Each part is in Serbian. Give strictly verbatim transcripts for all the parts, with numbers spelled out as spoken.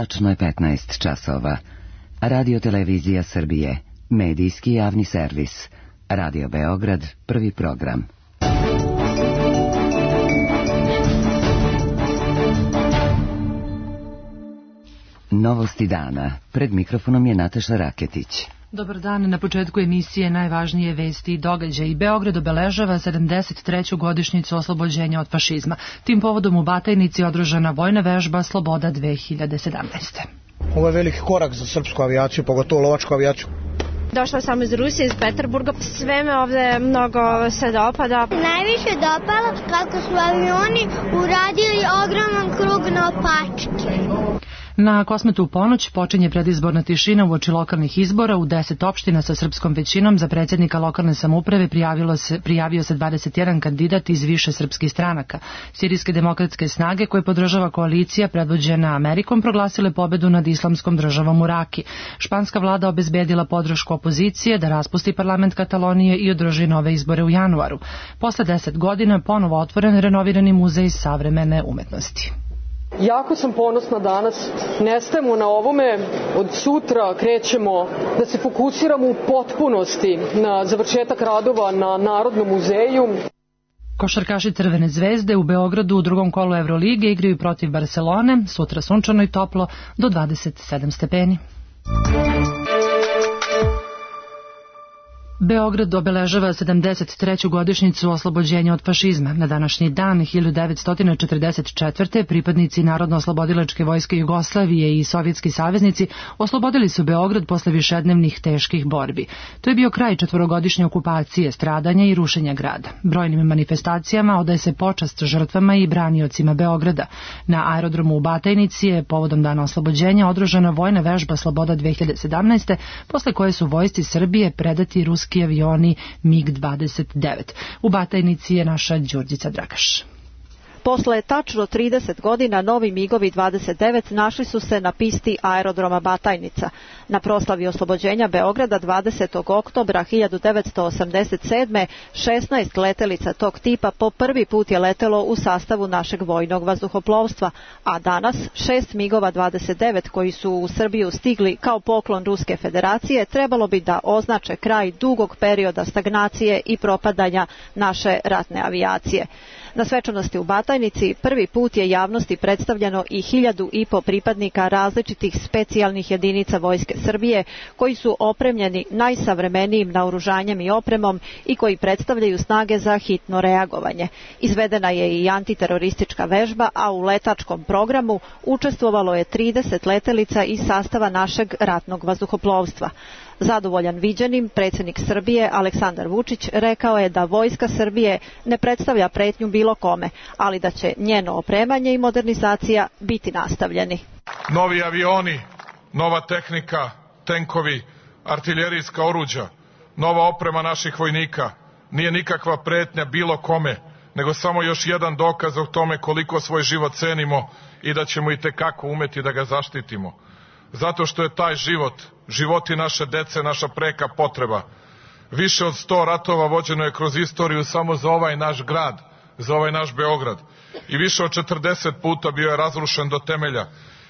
Tačno je petnaest časova. Radio Televizija Srbije, medijski javni servis. Radio Beograd, prvi program. Novosti dana. Pred mikrofonom je Nataša Raketić. Dobar dan, na početku emisije najvažnije vesti i događaji. Beograd obeležava sedamdeset treću godišnjicu oslobođenja od fašizma. Tim povodom u Batajnici održana vojna vežba Sloboda dve hiljade sedamnaeste. Ovo je veliki korak za srpsku avijaciju, pogotovo lovačku avijaciju. Došla sam iz Rusije, iz Peterburga. Sve me ovde mnogo se dopada. Najviše dopalo kako su avioni uradili ogroman krug na opačke. Na Kosmetu u ponoć počinje predizborna tišina uoči lokalnih izbora. U deset opština sa srpskom većinom za predsjednika lokalne samouprave prijavilo se, prijavio se dvadeset jedan kandidat iz više srpskih stranaka. Sirijske demokratske snage koje podržava koalicija predvođena Amerikom proglasile pobedu nad islamskom državom u Raki. Španska vlada obezbedila podršku opozicije da raspusti parlament Katalonije i održi nove izbore u januaru. Posle deset godina ponovo otvoren renovirani muzej savremene umetnosti. Jako sam ponosna danas, ne stajemo na ovome, od sutra krećemo da se fokusiramo u potpunosti na završetak radova na Narodnom muzeju. Košarkaši Crvene zvezde u Beogradu u drugom kolu Evrolige igraju protiv Barcelone, sutra sunčano i toplo do dvadeset sedam stepeni. Beograd obeležava sedamdeset treću godišnjicu oslobođenja od fašizma. Na današnji dan hiljadu devetsto četrdeset četvrte pripadnici Narodno-oslobodilačke vojske Jugoslavije i sovjetski saveznici oslobodili su Beograd posle višednevnih teških borbi. To je bio kraj četvorogodišnje okupacije, stradanja i rušenja grada. Brojnim manifestacijama odaje se počast žrtvama i braniocima Beograda. Na aerodromu u Batajnici je povodom dana oslobođenja održana vojna vežba Sloboda dve hiljade sedamnaeste, posle koje su vojsci Srbije predati ruski avioni mig dvadeset devet. U Batajnici je naša Đurđica Dragaš. Posle tačno trideset godina novi migovi dvadeset devet našli su se na pisti aerodroma Batajnica. Na proslavi oslobođenja Beograda dvadesetog oktobra hiljadu devetsto osamdeset sedme šesnaest letelica tog tipa po prvi put je letelo u sastavu našeg vojnog vazduhoplovstva, a danas šest migova dvadeset devet koji su u Srbiju stigli kao poklon Ruske federacije trebalo bi da označe kraj dugog perioda stagnacije i propadanja naše ratne avijacije. Na svečanosti u Batajnici prvi put je javnosti predstavljeno i hiljadu i po pripadnika različitih specijalnih jedinica Vojske Srbije koji su opremljeni najsavremenijim naoružanjem i opremom i koji predstavljaju snage za hitno reagovanje. Izvedena je i antiteroristička vežba, a u letačkom programu učestvovalo je trideset letelica iz sastava našeg ratnog vazduhoplovstva. Zadovoljan viđenim, predsjednik Srbije Aleksandar Vučić rekao je da Vojska Srbije ne predstavlja pretnju bilo kome, ali da će njeno opremanje i modernizacija biti nastavljeni. Novi avioni, nova tehnika, tenkovi, artiljerijska oruđa, nova oprema naših vojnika nije nikakva pretnja bilo kome, nego samo još jedan dokaz o tome koliko svoj život cenimo i da ćemo itekako umeti da ga zaštitimo. Zato što je taj život, životi naše dece, naša preka potreba. Više od sto ratova vođeno je kroz istoriju samo za ovaj naš grad, za ovaj naš Beograd. I više od četrdeset puta bio je razrušen do temelja.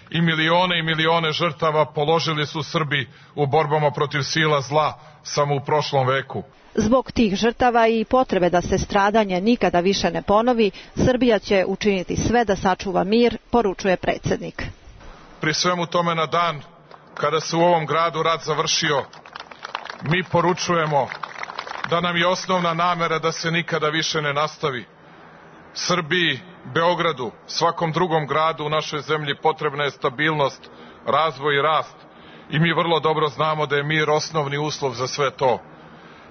I milione i milione žrtava položili su Srbi u borbama protiv sila zla samo u prošlom veku. Zbog tih žrtava i potrebe da se stradanje nikada više ne ponovi, Srbija će učiniti sve da sačuva mir, poručuje predsjednik. Pri svemu tome na dan kada se u ovom gradu rat završio, mi poručujemo da nam je osnovna namera da se nikada više ne nastavi. Srbiji, Beogradu, svakom drugom gradu u našoj zemlji potrebna je stabilnost, razvoj i rast. I mi vrlo dobro znamo da je mir osnovni uslov za sve to.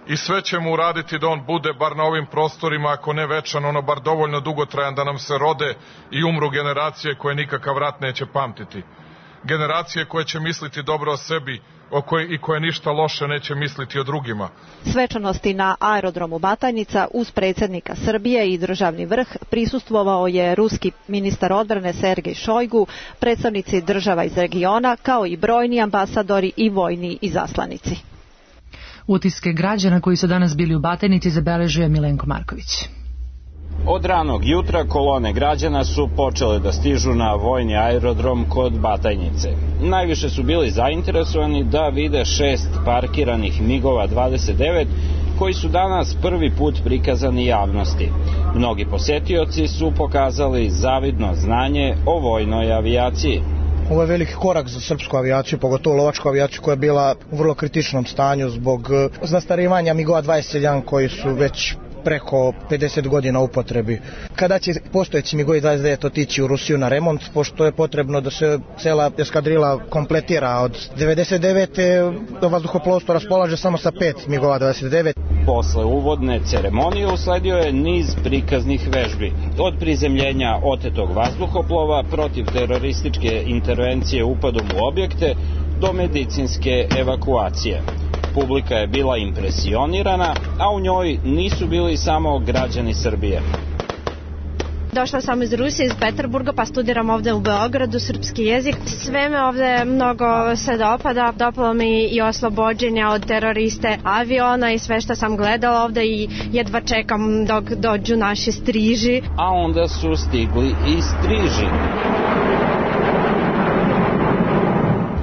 I sve ćemo uraditi da on bude, bar na ovim prostorima, ako ne večan, ono bar dovoljno dugotrajan da nam se rode i umru generacije koje nikakav rat neće pamtiti. Generacije koje će misliti dobro o sebi o koje, i koje ništa loše neće misliti o drugima. Svečanosti na aerodromu Batajnica uz predsjednika Srbije i državni vrh prisustvovao je ruski ministar odbrane Sergej Šojgu, predstavnici država iz regiona, kao i brojni ambasadori i vojni izaslanici. Utiske građana koji su danas bili u Batajnici zabeležio je Milenko Marković. Od ranog jutra kolone građana su počele da stižu na vojni aerodrom kod Batajnice. Najviše su bili zainteresovani da vide šest parkiranih migova dvadeset devet koji su danas prvi put prikazani javnosti. Mnogi posetioci su pokazali zavidno znanje o vojnoj avijaciji. Ovo je veliki korak za srpsku avijaciju, pogotovo lovačku avijaciju koja je bila u vrlo kritičnom stanju zbog zastarivanja migova dvadeset jedan koji su već preko pedeset godina u upotrebi. Kada će postojeći migovi dvadeset devet otići u Rusiju na remont, pošto je potrebno da se cela eskadrila kompletira od devedeset devete do vazduhoplovstvo raspolaže samo sa pet migova dvadeset devet. Posle uvodne ceremonije usledio je niz prikaznih vežbi. Od prizemljenja otetog vazduhoplova protiv terorističke intervencije upadom u objekte do medicinske evakuacije. Publika je bila impresionirana, a u njoj nisu bili samo građani Srbije. Došla sam iz Rusije, iz Peterburga, pa studiram ovde u Beogradu srpski jezik. Sve me ovde mnogo se dopada. Dopalo mi i oslobođenja od teroriste aviona i sve što sam gledala ovde i jedva čekam dok dođu naši striži. A onda su stigli i striži.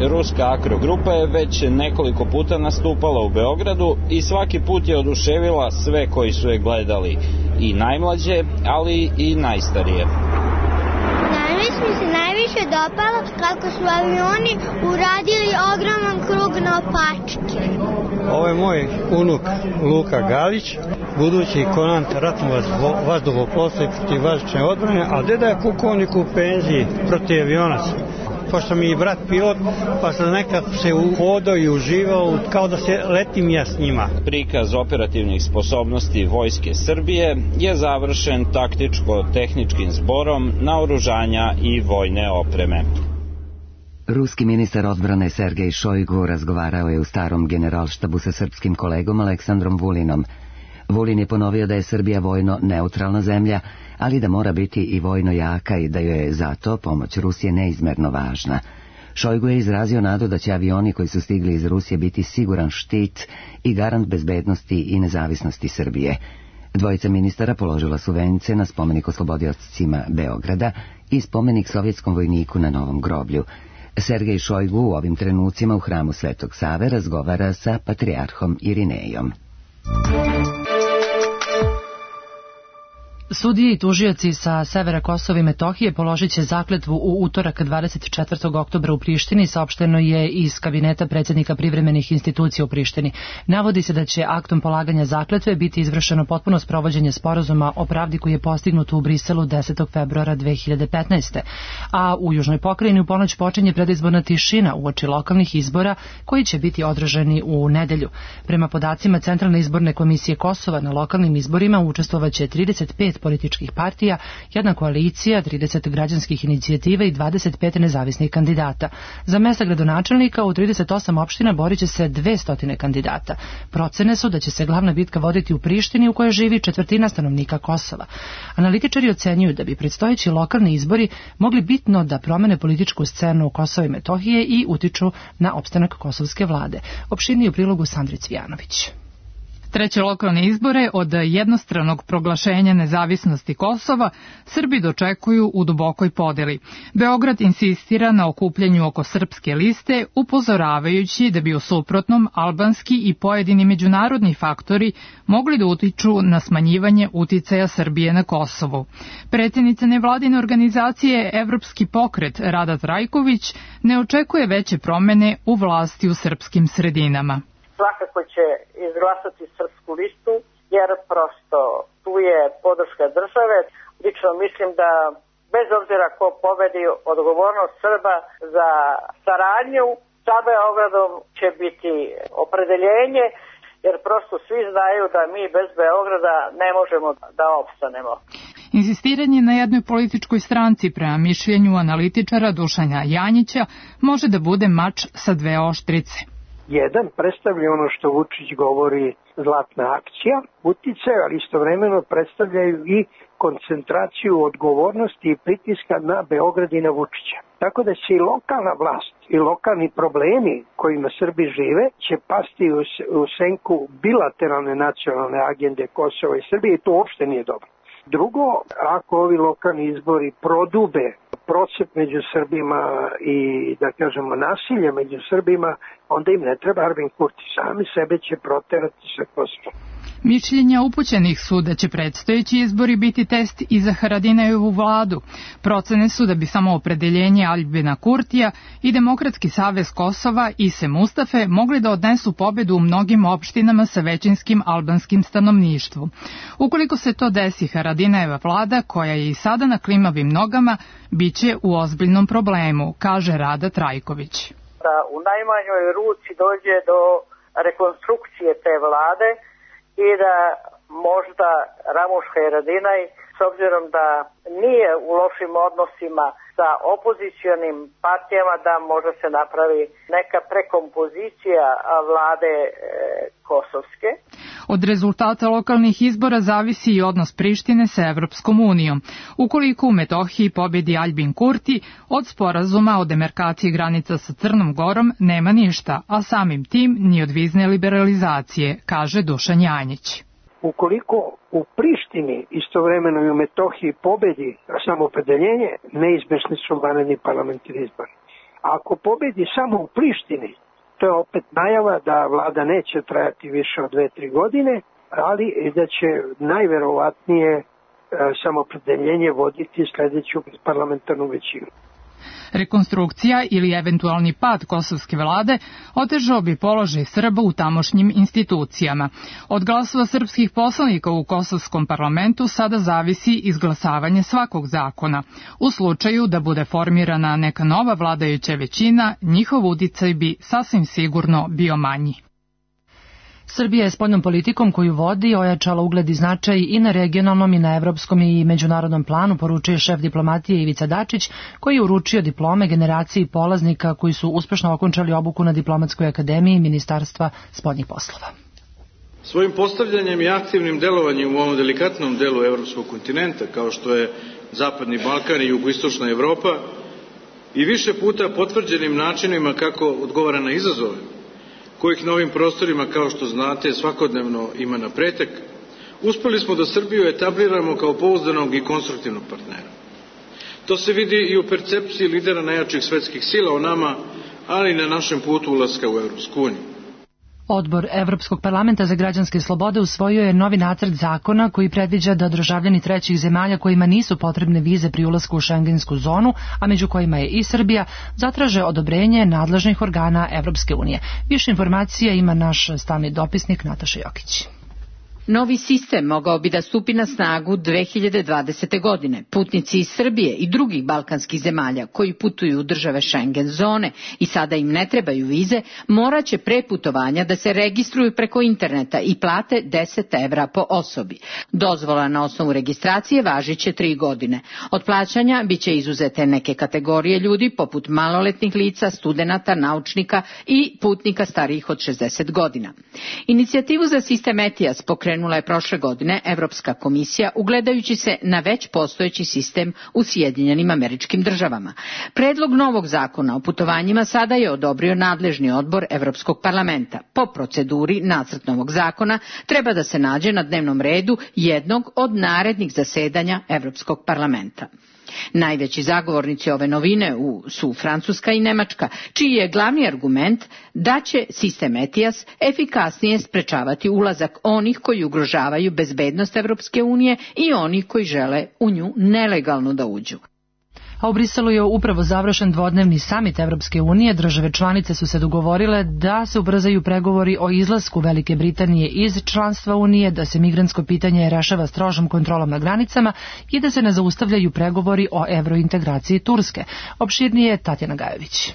Ruska akrogrupa je već nekoliko puta nastupala u Beogradu i svaki put je oduševila sve koji su je gledali, i najmlađe, ali i najstarije. Danas mi se najviše dopalo kako su avioni uradili ogroman krug naopačke. Ovo je moj unuk Luka Galić, budući komandant ratnog vazduhoplovstva i protivvazdušne odbrane, a deda je pukovnik u penziji protiv avionaca. Pošto mi je brat pilot, pa sam nekako se uhodao i uživao kao da se letim ja s njima. Prikaz operativnih sposobnosti Vojske Srbije je završen taktičko-tehničkim zborom naoružanja i vojne opreme. Ruski ministar odbrane Sergej Šojgu razgovarao je u starom generalštabu sa srpskim kolegom Aleksandrom Vulinom. Vulin je ponovio da je Srbija vojno neutralna zemlja, ali da mora biti i vojno jaka i da joj je zato pomoć Rusije neizmerno važna. Šojgu je izrazio nadu da će avioni koji su stigli iz Rusije biti siguran štit i garant bezbednosti i nezavisnosti Srbije. Dvojica ministara položila su vence na spomenik oslobodiocima Beograda i spomenik sovjetskom vojniku na Novom groblju. Sergej Šojgu u ovim trenucima u hramu Svetog Save razgovara sa patrijarhom Irinejom. Sudije i tužioci sa severa Kosova i Metohije položit će zakletvu u utorak dvadeset četvrtog oktobra u Prištini, saopšteno je iz kabineta predsjednika privremenih institucija u Prištini. Navodi se da će aktom polaganja zakletve biti izvršeno potpuno sprovođenje sporazuma o pravdi koji je postignut u Briselu desetog februara dve hiljade petnaeste. A u Južnoj pokrajini u ponoć počinje predizborna tišina uoči lokalnih izbora koji će biti održani u nedelju. Prema podacima Centralne izborne komisije Kosova na lokalnim izborima učestvovaće trideset pet političkih partija, jedna koalicija, trideset građanskih inicijativa i dvadeset pet nezavisnih kandidata. Za mesta gradonačelnika u trideset osam opština borit će se dvesta kandidata. Procene su da će se glavna bitka voditi u Prištini u kojoj živi četvrtina stanovnika Kosova. Analitičari ocenjuju da bi predstojeći lokalni izbori mogli bitno da promene političku scenu Kosova i Metohije i utiču na opstanak kosovske vlade. Opširnije u prilogu Sandri Cvijanović. Treće lokalne izbore od jednostranog proglašenja nezavisnosti Kosova Srbi dočekuju u dubokoj podeli. Beograd insistira na okupljanju oko srpske liste, upozoravajući da bi u suprotnom albanski i pojedini međunarodni faktori mogli da utiču na smanjivanje uticaja Srbije na Kosovu. Predsjednica nevladine organizacije Evropski pokret Rada Trajković ne očekuje veće promene u vlasti u srpskim sredinama. Svakako će izglasati srpsku listu, jer prosto tu je podrška države. Lično mislim da bez obzira ko pobedi, odgovornost Srba za saradnju sa Beogradom će biti opredeljenje, jer prosto svi znaju da mi bez Beograda ne možemo da opstanemo. Insistiranje na jednoj političkoj stranci prema mišljenju analitičara Dušana Janjića može da bude mač sa dve oštrice. Jedan predstavlja ono što Vučić govori zlatna akcija, uticaj, ali istovremeno predstavljaju i koncentraciju odgovornosti i pritiska na Beograd i na Vučića. Tako da će i lokalna vlast i lokalni problemi kojima Srbi žive će pasti u, u senku bilateralne nacionalne agende Kosova i Srbije i to uopšte nije dobro. Drugo, ako ovi lokalni izbori prodube procep među Srbima i, da kažemo, nasilje među Srbima, onda im ne treba Aljbin Kurti. Sami sebe će proterati sa Kosova. Mišljenja upućenih su da će predstojeći izbori biti test i za Haradinajevu vladu. Procene su da bi samo opredeljenje Aljbina Kurtija i Demokratski savez Kosova i Se Mustafe mogli da odnesu pobedu u mnogim opštinama sa većinskim albanskim stanovništvom. Ukoliko se to desi, Haradinajeva vlada, koja je i sada na klimavim nogama, bit će u ozbiljnom problemu, kaže Rada Trajković. Da u najmanjoj ruci dođe do rekonstrukcije te vlade i da možda Ramuš Haradinaj, s obzirom da nije u lošim odnosima sa opozicionim partijama, da možda se napravi neka prekompozicija vlade e, kosovske. Od rezultata lokalnih izbora zavisi i odnos Prištine sa Evropskom unijom. Ukoliko u Metohiji pobedi Aljbin Kurti, od sporazuma o demarkaciji granica sa Crnom Gorom nema ništa, a samim tim ni od vizne liberalizacije, kaže Dušan Janjić. Ukoliko u Prištini istovremeno i u Metohiji pobedi samoopredeljenje, neizbesni su vanredni parlamentarni izbori. Ako pobedi samo u Prištini, to je opet najava da vlada neće trajati više od dve, tri godine, ali da će najverovatnije samoopredeljenje voditi sledeću parlamentarnu većinu. Rekonstrukcija ili eventualni pad kosovske vlade otežao bi položaj Srba u tamošnjim institucijama. Od glasova srpskih poslanika u kosovskom parlamentu sada zavisi izglasavanje svakog zakona. U slučaju da bude formirana neka nova vladajuća većina, njihov uticaj bi sasvim sigurno bio manji. Srbija je spoljnom politikom koju vodi ojačala ugled i značaj i na regionalnom i na evropskom i međunarodnom planu, poručuje šef diplomatije Ivica Dačić, koji je uručio diplome generaciji polaznika koji su uspešno okončali obuku na Diplomatskoj akademiji Ministarstva spoljnih poslova. Svojim postavljanjem i aktivnim delovanjem u ovom delikatnom delu evropskog kontinenta, kao što je Zapadni Balkan i jugoistočna Evropa, i više puta potvrđenim načinima kako odgovara na izazove, kojih na ovim prostorima, kao što znate, svakodnevno ima na pretek, uspeli smo da Srbiju etabliramo kao pouzdanog i konstruktivnog partnera. To se vidi i u percepciji lidera najjačih svetskih sila o nama, ali i na našem putu ulaska u Evropsku uniju. Odbor Evropskog parlamenta za građanske slobode usvojio je novi nacrt zakona koji predviđa da državljani trećih zemalja kojima nisu potrebne vize pri ulasku u šengensku zonu, a među kojima je i Srbija, zatraže odobrenje nadležnih organa Evropske unije. Više informacija ima naš stalni dopisnik Nataša Jokić. Novi sistem mogao bi da stupi na snagu dve hiljade dvadesete. godine. Putnici iz Srbije i drugih balkanskih zemalja koji putuju u države Schengen zone i sada im ne trebaju vize, moraće pre putovanja da se registruju preko interneta i plate deset evra po osobi. Dozvola na osnovu registracije važiće tri godine. Od plaćanja biće izuzete neke kategorije ljudi poput maloletnih lica, studenata, naučnika i putnika starijih od šezdeset godina. Inicijativu za sistem E T I A S pokrenula je prošle godine Evropska komisija, ugledajući se na već postojeći sistem u Sjedinjenim Američkim Državama. Predlog novog zakona o putovanjima sada je odobrio nadležni odbor Evropskog parlamenta. Po proceduri nacrt novog zakona treba da se nađe na dnevnom redu jednog od narednih zasedanja Evropskog parlamenta. Najveći zagovornici ove novine su Francuska i Nemačka, čiji je glavni argument da će sistem E T I A S efikasnije sprečavati ulazak onih koji ugrožavaju bezbednost Evropske unije i onih koji žele u nju nelegalno da uđu. A u Briselu je upravo završen dvodnevni samit Evropske unije. Države članice su se dogovorile da se ubrzaju pregovori o izlasku Velike Britanije iz članstva Unije, da se migrantsko pitanje rešava strožom kontrolom na granicama i da se ne zaustavljaju pregovori o evrointegraciji Turske. Opširnije Tatjana Gajović.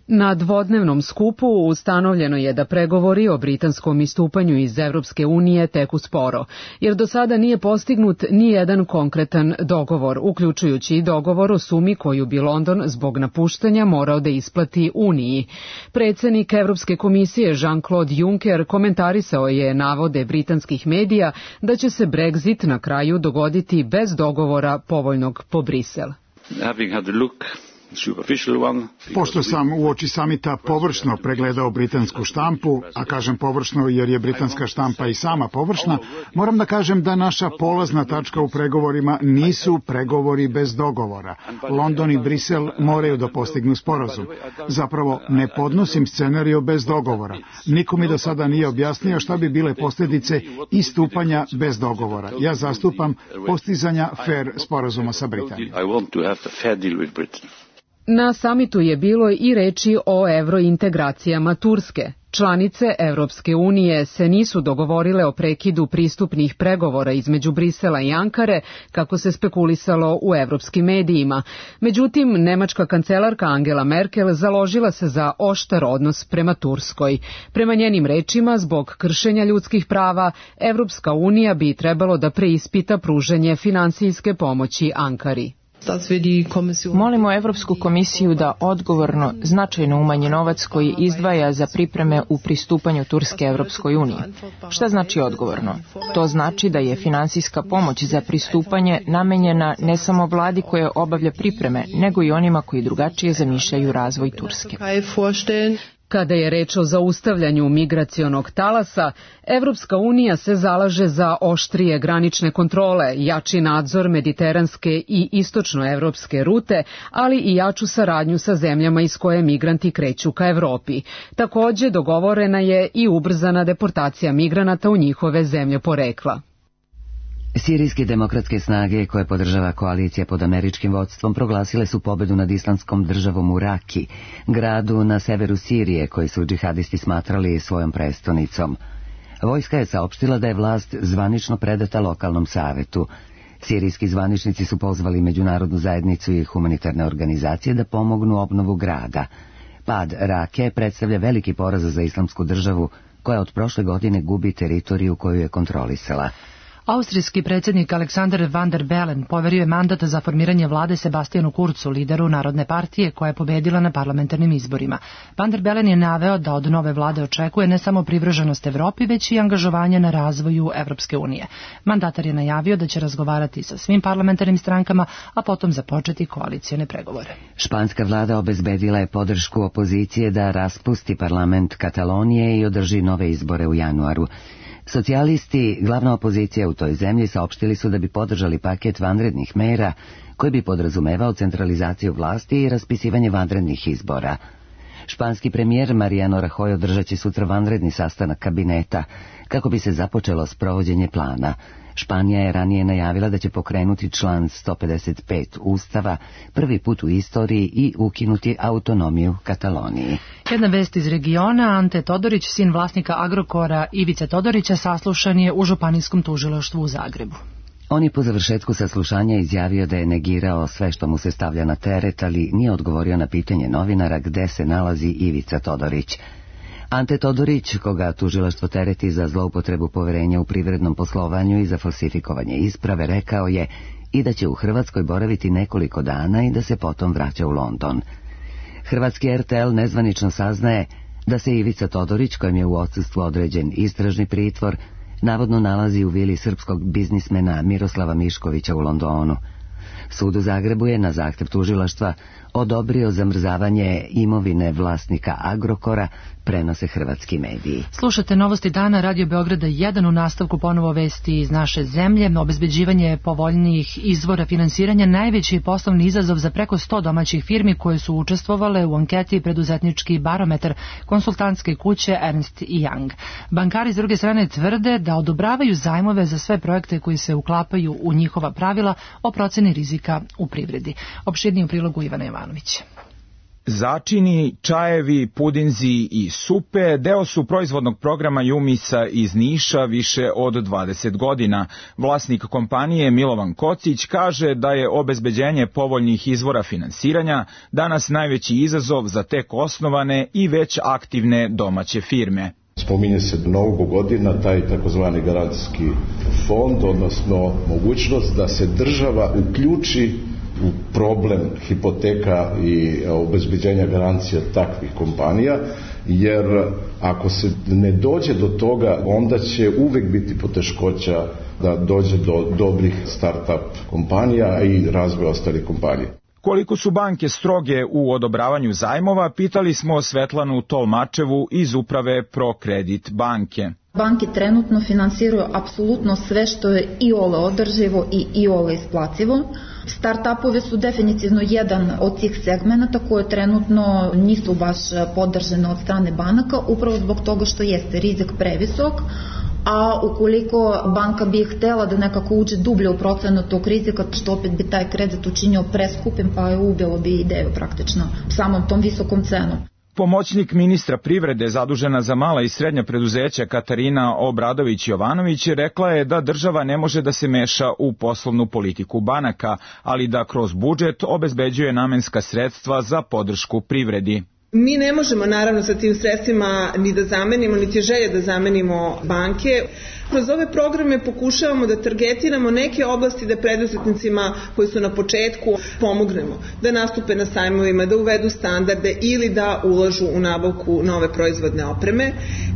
Na dvodnevnom skupu ustanovljeno je da pregovori o britanskom istupanju iz Evropske unije teku sporo, jer do sada nije postignut ni jedan konkretan dogovor, uključujući i dogovor o sumi koju bi London zbog napuštanja morao da isplati Uniji. Predsednik Evropske komisije Jean-Claude Juncker komentarisao je navode britanskih medija da će se Brexit na kraju dogoditi bez dogovora povoljnog po Brisel. Having had a look Pošto sam uoči samita površno pregledao britansku štampu, a kažem površno jer je britanska štampa i sama površna, moram da kažem da naša polazna tačka u pregovorima nisu pregovori bez dogovora. London i Brisel moraju da postignu sporazum. Zapravo, ne podnosim scenariju bez dogovora. Niko mi do sada nije objasnio šta bi bile posljedice istupanja bez dogovora. Ja zastupam postizanja fair sporazuma sa Britanijom. Na samitu je bilo i reči o evrointegracijama Turske. Članice Evropske unije se nisu dogovorile o prekidu pristupnih pregovora između Brisela i Ankare, kako se spekulisalo u evropskim medijima. Međutim, nemačka kancelarka Angela Merkel založila se za oštar odnos prema Turskoj. Prema njenim rečima, zbog kršenja ljudskih prava, Evropska unija bi trebalo da preispita pružanje finansijske pomoći Ankari. Molimo Evropsku komisiju da odgovorno, značajno umanji novac koji izdvaja za pripreme u pristupanju Turske Evropskoj uniji. Šta znači odgovorno? To znači da je finansijska pomoć za pristupanje namenjena ne samo vladi koja obavlja pripreme, nego i onima koji drugačije zamišljaju razvoj Turske. Kada je reč o zaustavljanju migracionog talasa, Evropska unija se zalaže za oštrije granične kontrole, jači nadzor mediteranske i istočnoevropske rute, ali i jaču saradnju sa zemljama iz koje migranti kreću ka Evropi. Takođe, dogovorena je i ubrzana deportacija migranata u njihove zemlje porekla. Sirijske demokratske snage koje podržava koalicija pod američkim vodstvom proglasile su pobedu nad islamskom državom u Raki, gradu na severu Sirije koji su džihadisti smatrali svojom prestonicom. Vojska je saopštila da je vlast zvanično predata lokalnom savetu. Sirijski zvaničnici su pozvali međunarodnu zajednicu i humanitarne organizacije da pomognu obnovu grada. Pad Rake predstavlja veliki poraz za islamsku državu koja od prošle godine gubi teritoriju koju je kontrolisala. Austrijski predsjednik Alexander Van der Bellen poverio je mandat za formiranje vlade Sebastijanu Kurzu, lideru Narodne partije koja je pobedila na parlamentarnim izborima. Van der Bellen je naveo da od nove vlade očekuje ne samo privrženost Evropi, već i angažovanje na razvoju Evropske unije. Mandatar je najavio da će razgovarati sa svim parlamentarnim strankama, a potom započeti koalicione pregovore. Španska vlada obezbedila je podršku opozicije da raspusti parlament Katalonije i održi nove izbore u januaru. Socijalisti, glavna opozicija u toj zemlji, saopštili su da bi podržali paket vanrednih mera koji bi podrazumevao centralizaciju vlasti i raspisivanje vanrednih izbora. Španski premijer Mariano Rajoy održat će sutra vanredni sastanak kabineta kako bi se započelo sprovođenje plana. Španija je ranije najavila da će pokrenuti član sto pedeset pet Ustava, prvi put u istoriji, i ukinuti autonomiju Kataloniji. Jedna vest iz regiona: Ante Todorić, sin vlasnika Agrokora Ivice Todorića, saslušan je u Županijskom tužilaštvu u Zagrebu. On je po završetku saslušanja izjavio da je negirao sve što mu se stavlja na teret, ali nije odgovorio na pitanje novinara gde se nalazi Ivica Todorić. Ante Todorić, koga tužilaštvo tereti za zloupotrebu poverenja u privrednom poslovanju i za falsifikovanje isprave, rekao je i da će u Hrvatskoj boraviti nekoliko dana i da se potom vraća u London. Hrvatski R T L nezvanično saznaje da se Ivica Todorić, kojem je u odsustvu određen istražni pritvor, navodno nalazi u vili srpskog biznismena Miroslava Miškovića u Londonu. Sud u Zagrebu je na zahtev tužilaštva odobrio zamrzavanje imovine vlasnika Agrokora, prenose hrvatski mediji. Slušate Novosti dana, Radio Beograda jedan, u nastavku ponovo vesti iz naše zemlje. Obezbeđivanje povoljnijih izvora finansiranja najveći je poslovni izazov za preko sto domaćih firmi koje su učestvovale u anketi Preduzetnički barometar konsultantske kuće Ernst and Young. Bankari s druge strane tvrde da odobravaju zajmove za sve projekte koji se uklapaju u njihova pravila o proceni rizika u privredi. Opširniji u prilogu Ivana Jovanović. Začini, čajevi, pudinzi i supe deo su proizvodnog programa Jumisa iz Niša više od dvadeset godina. Vlasnik kompanije Milovan Kocić kaže da je obezbeđenje povoljnih izvora finansiranja danas najveći izazov za tek osnovane i već aktivne domaće firme. Spominje se mnogo godina taj takozvani garancijski fond, odnosno mogućnost da se država uključi u problem hipoteka i obezbeđenja garancija takvih kompanija, jer ako se ne dođe do toga, onda će uvek biti poteškoća da dođe do dobrih start-up kompanija i razvoja ostalih kompanija. Koliko su banke stroge u odobravanju zajmova, pitali smo Svetlanu Tolmačevu iz uprave ProKredit banke. Banke trenutno finansiraju apsolutno sve što je iole održivo i iole isplativo. Start-upove su definitivno jedan od tih segmenata koje trenutno nisu baš podržene od strane banaka, upravo zbog toga što jeste rizik previsok, a ukoliko banka bi htela da nekako uđe dublje u procenu tog rizika, što opet bi taj kredit učinio preskupim, pa je ubilo bi ideju praktično samom tom visokom cenom. Pomoćnik ministra privrede zadužena za mala i srednja preduzeća Katarina Obradović-Jovanović rekla je da država ne može da se meša u poslovnu politiku banaka, ali da kroz budžet obezbeđuje namenska sredstva za podršku privredi. Mi ne možemo naravno sa tim sredstvima ni da zamenimo, niti je želje da zamenimo banke. Kroz ove programe pokušavamo da targetiramo neke oblasti da preduzetnicima koji su na početku pomognemo, da nastupe na sajmovima, da uvedu standarde ili da ulažu u nabavku nove proizvodne opreme.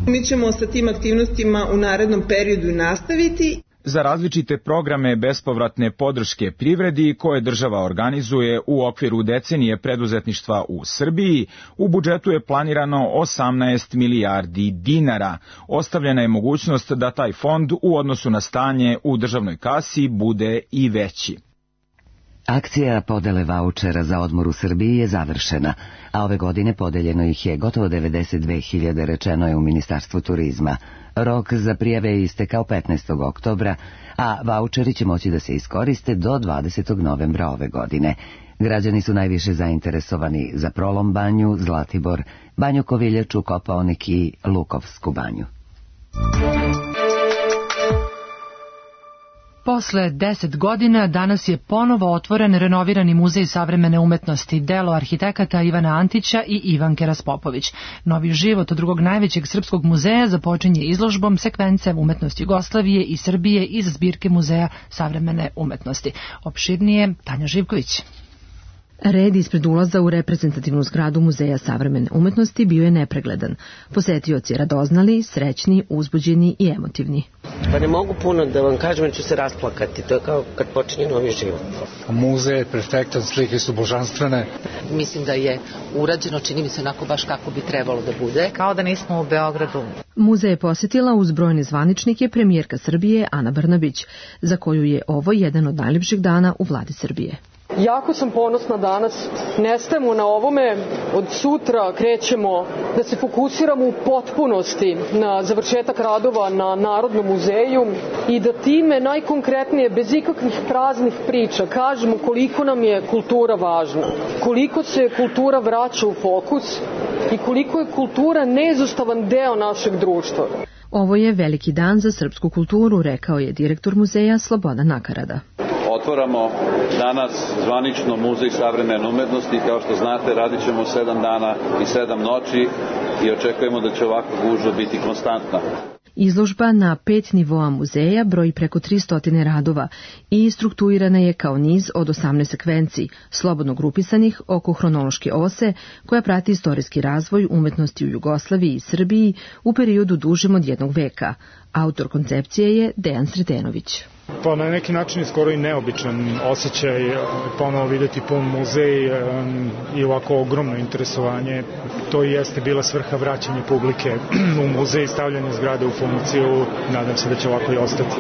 Mi ćemo sa tim aktivnostima u narednom periodu nastaviti. Za različite programe bespovratne podrške privredi koje država organizuje u okviru decenije preduzetništva u Srbiji, u budžetu je planirano osamnaest milijardi dinara. Ostavljena je mogućnost da taj fond u odnosu na stanje u državnoj kasi bude i veći. Akcija podele vaučera za odmor u Srbiji je završena, a ove godine podeljeno ih je gotovo devedeset dve hiljade, rečeno je u Ministarstvu turizma. Rok za prijave je istekao petnaestog oktobra, a vaučeri će moći da se iskoriste do dvadesetog novembra ove godine. Građani su najviše zainteresovani za Prolom banju, Zlatibor, Banju Koviljaču, Kopaonik i Lukovsku banju. Posle deset godina danas je ponovo otvoren renovirani muzej savremene umetnosti, delo arhitekata Ivana Antića i Ivanke Raspopović. Novi život od drugog najvećeg srpskog muzeja započinje izložbom Sekvence umetnosti Jugoslavije i Srbije iz zbirke Muzeja savremene umetnosti. Opširnije Tanja Živković. Red ispred ulaza u reprezentativnu zgradu Muzeja savremene umetnosti bio je nepregledan. Posetioci radoznali, srećni, uzbuđeni i emotivni. Pa ne mogu puno da vam kažem, jer ću se rasplakati. To je kao kad počinje novi život. Muzej je perfektan, slike su božanstvene. Mislim da je urađeno, čini mi se onako baš kako bi trebalo da bude. Kao da nismo u Beogradu. Muzej je posjetila uz brojne zvaničnike premijerka Srbije Ana Brnabić, za koju je ovo jedan od najljepših dana u vladi Srbije. Jako sam ponosna danas, ne stajemo na ovome, od sutra krećemo da se fokusiramo u potpunosti na završetak radova na Narodnom muzeju i da time najkonkretnije, bez ikakvih praznih priča, kažemo koliko nam je kultura važna, koliko se kultura vraća u fokus i koliko je kultura neizostavan deo našeg društva. Ovo je veliki dan za srpsku kulturu, rekao je direktor muzeja Slobodan Nakarada. Otvaramo danas zvanično Muzej savremene umetnosti. Kao što znate, radit ćemo sedam dana i sedam noći i očekujemo da će ovakva gužva biti konstantna. Izložba na pet nivoa muzeja broji preko tristo radova i strukturirana je kao niz od osamnaest sekvenci, slobodno grupisanih oko hronološke ose, koja prati istorijski razvoj umetnosti u Jugoslaviji i Srbiji u periodu dužem od jednog veka. Autor koncepcije je Dejan Sretenović. Pa na neki način je skoro i neobičan osjećaj ponovo vidjeti pun muzej i ovako ogromno interesovanje. To i jeste bila svrha vraćanja publike u muzej i stavljanja zgrade u funkciju. Nadam se da će ovako i ostati.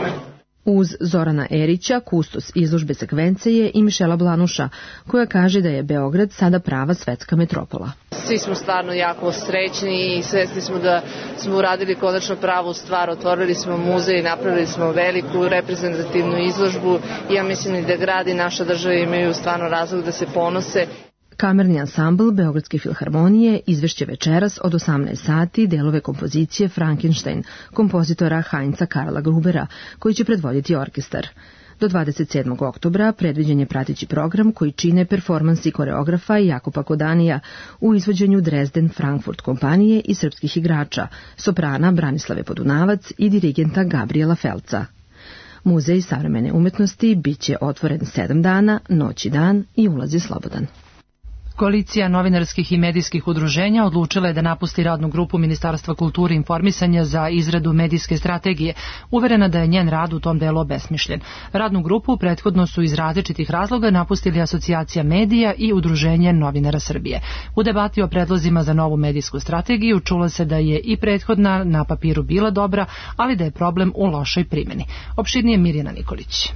Uz Zorana Erića, kustos izložbe Sekvence je i Mišela Blanuša, koja kaže da je Beograd sada prava svetska metropola. Svi smo stvarno jako srećni i svesni smo da smo uradili konačno pravu stvar, otvorili smo muzej, napravili smo veliku reprezentativnu izložbu i ja mislim da grad i naša država imaju stvarno razlog da se ponose. Kamerni ansambl Beogradske filharmonije izvešće večeras od osamnaest sati delove kompozicije Frankenstein, kompozitora Heinza Karla Grubera, koji će predvoditi orkestar. Do dvadeset sedmog oktobra predviđen je prateći program koji čine performansi koreografa Jakopa Kodanija u izvođenju Dresden Frankfurt kompanije i srpskih igrača, soprana Branislave Podunavac i dirigenta Gabriela Felca. Muzej savremene umetnosti biće otvoren sedam dana, noć i dan i ulaz je slobodan. Koalicija novinarskih i medijskih udruženja odlučila je da napusti radnu grupu Ministarstva kulture i informisanja za izradu medijske strategije, uverena da je njen rad u tom delu obesmišljen. Radnu grupu prethodno su iz različitih razloga napustili Asocijacija medija i Udruženje novinara Srbije. U debati o predlozima za novu medijsku strategiju čulo se da je i prethodna na papiru bila dobra, ali da je problem u lošoj primjeni. Opširnije Mirjana Nikolić.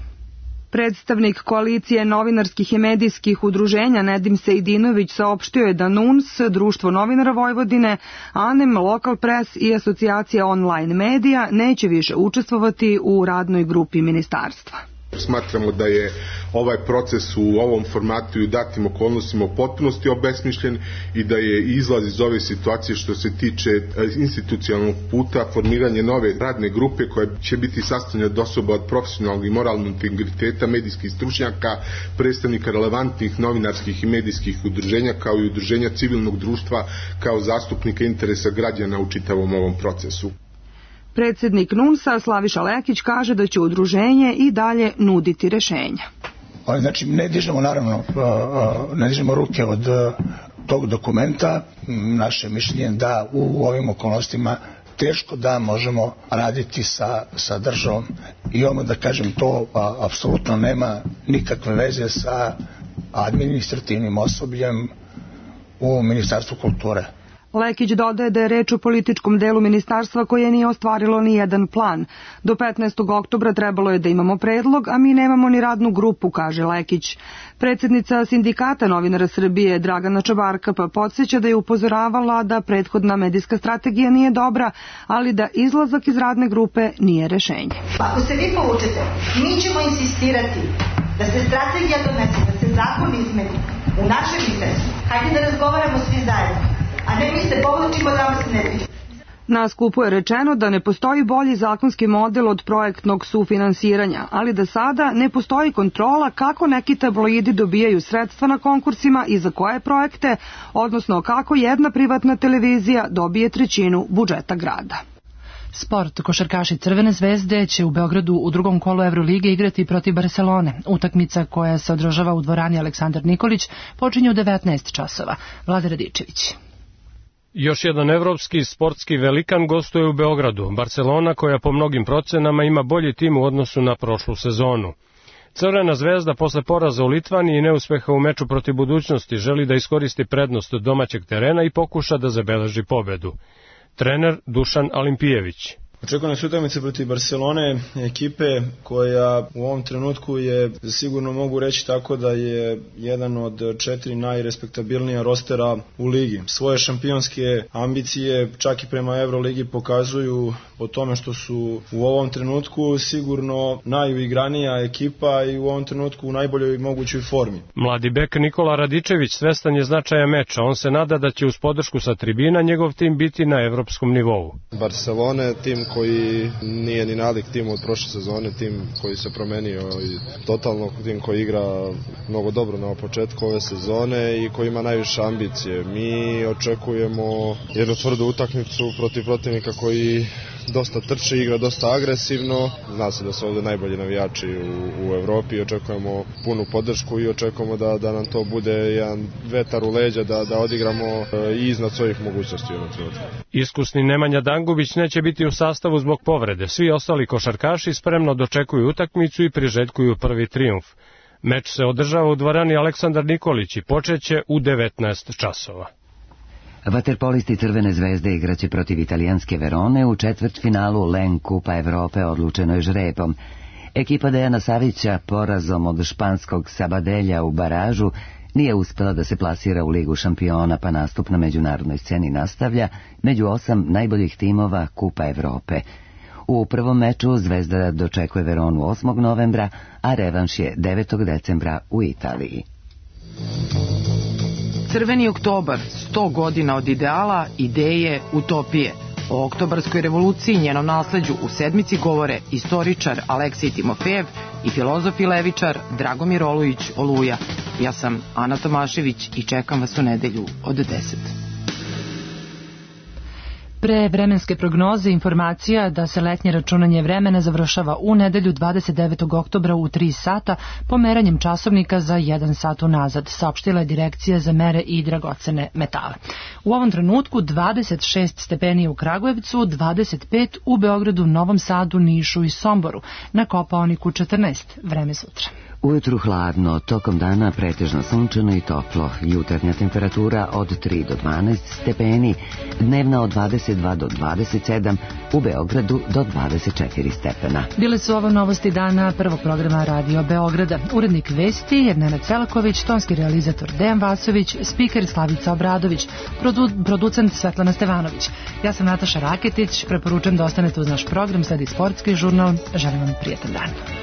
Predstavnik koalicije novinarskih i medijskih udruženja Nedim Sejdinović saopštio je da N U N S, Društvo novinara Vojvodine, A N E M, Lokal Pres i Asocijacija online medija neće više učestvovati u radnoj grupi ministarstva. Smatramo da je ovaj proces u ovom formatu i u datim okolnostima u potpunosti obesmišljen i da je izlaz iz ove situacije što se tiče institucionalnog puta formiranje nove radne grupe koja će biti sastavljena od osoba od profesionalnog i moralnog integriteta, medijskih stručnjaka, predstavnika relevantnih novinarskih i medijskih udruženja kao i udruženja civilnog društva kao zastupnika interesa građana u čitavom ovom procesu. Predsednik N U N S-a Slaviša Lekić kaže da će udruženje i dalje nuditi rešenja. Znači, ne dižemo naravno, ne dižemo ruke od tog dokumenta. Naše mišljenje da u ovim okolnostima teško da možemo raditi sa, sa državom i ono da kažem to a, apsolutno nema nikakve veze sa administrativnim osobljem u Ministarstvu kulture. Lekić dodaje da je reč o političkom delu ministarstva koje nije ostvarilo ni jedan plan. Do petnaestog oktobra trebalo je da imamo predlog, a mi nemamo ni radnu grupu, kaže Lekić. Predsednica Sindikata novinara Srbije Dragana Čabarka pa podsjeća da je upozoravala da prethodna medijska strategija nije dobra, ali da izlazak iz radne grupe nije rešenje. Ako se vi povučete, mi ćemo insistirati da se strategija donese, da se zakon izmeni u našem interesu. Hajde da razgovaramo svi zajedno. A ne mi se povlačimo da vas ne tiče. Na skupu je rečeno da ne postoji bolji zakonski model od projektnog sufinansiranja, ali da sada ne postoji kontrola kako neki tabloidi dobijaju sredstva na konkursima i za koje projekte, odnosno kako jedna privatna televizija dobije trećinu budžeta grada. Sport. Košarkaši Crvene zvezde će u Beogradu u drugom kolu Evrolige igrati protiv Barcelone. Utakmica koja se održava u dvorani Aleksandar Nikolić počinje u devetnaest časova. Vlada Radičević. Još jedan evropski sportski velikan gostuje u Beogradu, Barcelona koja po mnogim procenama ima bolji tim u odnosu na prošlu sezonu. Crvena zvezda posle poraza u Litvaniji i neuspeha u meču protiv Budućnosti želi da iskoristi prednost domaćeg terena i pokuša da zabeleži pobedu. Trener Dušan Alimpijević. Očekuje nas utakmica protiv Barcelone, ekipe koja u ovom trenutku je, sigurno mogu reći tako da je jedan od četiri najrespektabilnija rostera u ligi. Svoje šampionske ambicije čak i prema Evroligi pokazuju po tome što su u ovom trenutku sigurno najuigranija ekipa i u ovom trenutku u najboljoj mogućoj formi. Mladi bek Nikola Radičević svestan je značaja meča. On se nada da će uz podršku sa tribina njegov tim biti na evropskom nivou. Barcelona, tim koji nije ni nalik timu od prošle sezone, tim koji se promenio i totalno tim koji igra mnogo dobro na početku ove sezone i koji ima najviše ambicije. Mi očekujemo jednu tvrdu utakmicu protiv protivnika koji dosta trče, igra dosta agresivno. Zna se da su ovde najbolji navijači u, u Evropi i očekujemo punu podršku i očekujemo da, da nam to bude jedan vetar u leđa, da, da odigramo i iznad svojih mogućnosti. Iskusni Nemanja Dangubić neće biti u sastavu zbog povrede. Svi ostali košarkaši spremno dočekuju utakmicu i priželjkuju prvi trijumf. Meč se održava u dvorani Aleksandar Nikolić i počeće u devetnaest časova. Vaterpolisti Crvene zvezde igraće protiv italijanske Verone u četvrtfinalu Len Kupa Evrope odlučenoj žrebom. Ekipa Dejana Savića porazom od španskog Sabadelja u baražu nije uspela da se plasira u Ligu šampiona, pa nastup na međunarodnoj sceni nastavlja među osam najboljih timova Kupa Evrope. U prvom meču Zvezda dočekuje Veronu osmog novembra, a revanš je devetog decembra u Italiji. Crveni oktobar, sto godina od ideala, ideje, utopije. O oktobarskoj revoluciji i njenom nasleđu u sedmici govore istoričar Aleksij Timofejev i filozof i levičar Dragomir Olujić Oluja. Ja sam Ana Tomašević i čekam vas u nedelju od deset. Pre vremenske prognoze informacija da se letnje računanje vremena završava u nedelju dvadeset devetog oktobra u tri sata pomeranjem časovnika za jedan sat unazad, saopštila je Direkcija za mere i dragocene metale. U ovom trenutku dvadeset šest stepeni u Kragujevcu, dvadeset pet u Beogradu, Novom Sadu, Nišu i Somboru, na Kopaoniku četrnaest. Vreme sutra. Ujutru hladno, tokom dana pretežno sunčano i toplo, jutarnja temperatura od tri do dvanaest stepeni, dnevna od dvadeset dva do dvadeset sedam, u Beogradu do dvadeset četiri stepena. Bile su ovo novosti dana prvog programa Radio Beograda. Urednik vesti je Nenad Selaković, tonski realizator Dejan Vasović, spiker Slavica Obradović, produ, producent Svetlana Stevanović. Ja sam Nataša Raketić, preporučujem da ostanete uz naš program, sledi sportski žurnal, želim vam prijetan dan.